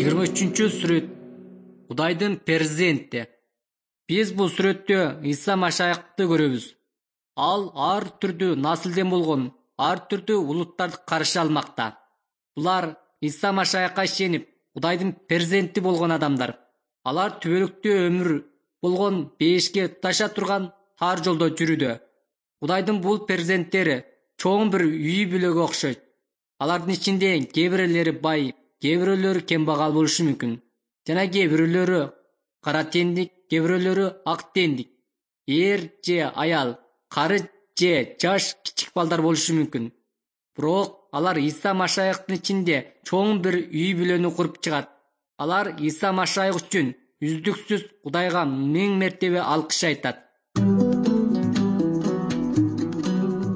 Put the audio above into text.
23-сүрөт. Кудайдын перзенти. Биз бул сүрөттө Иса Машаякты көрөбүз. Ал ар түрдүү наслден болгон ар түрдүү улуттарды каршы алмакта. Булар Иса Машаякка ишенип, Кудайдын перзенти болгон адамдар. Алар түбөлүктүү өмүр болгон бейишке туташа турган тар жолдо жүрүүдө. Кудайдын бул перзенттери чоң бир үй бүлөгө окшойт. Алардын ичинде кээ бирлери бай, кээ бирөөлөрү кембагал болушу мүмкүн. Жана кээ бирөөлөрү кара тендик, кээ бирөөлөрү ак тендик. Эр же аял, кары же жаш кичик балдар болушу мүмкүн. Бирок алар Иса Машаяктын ичинде чоң бир үй бүлөнү куруп чыгат. Алар Иса Машаяк үчүн үздүксүз Кудайга миң мертебе алкыш айтат.